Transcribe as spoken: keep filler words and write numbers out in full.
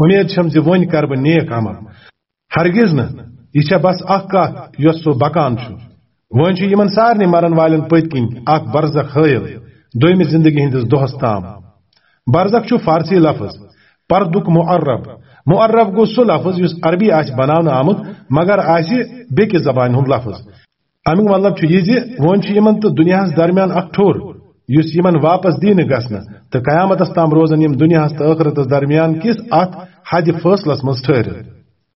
اُمید چھم زِ وۄنۍ کرٕ بہٕ نیک عمل۔ ہرگز نہٕ، یہِ چھےٚ بس اکھ کتھ یۄس سُہ بکان چھُ۔ وۄنۍ چھُ یِمن سارنٕے مرن والٮ۪ن پٔتۍ کِنۍ اکھ برزخ حٲیل، دوٚیمہِ زندگی ہٕنٛدِس دۄہس تام۔ برزخ چھُ فارسی لفظ، پردُک معرب۔ معرب گوٚو سُہ لفظ یُس عربی آسہِ بناونہٕ آمُت مگر آسہِ بیٚکِس زبانہِ ہُنٛد لفظ۔ امیُک مطلب چھُ یہِ زِ وۄنۍ چھُ یِمن تہٕ دُنیاہس درمیان اکھ ٹھوٚر، یُس یِمن واپس دِنہٕ گژھنہٕ تہٕ قیامتس تام روزن یِم دُنیاہس تہٕ ٲخرتس درمیان کِس اتھ حدِ فٲصلس منٛز ٹھٔہرِتھ۔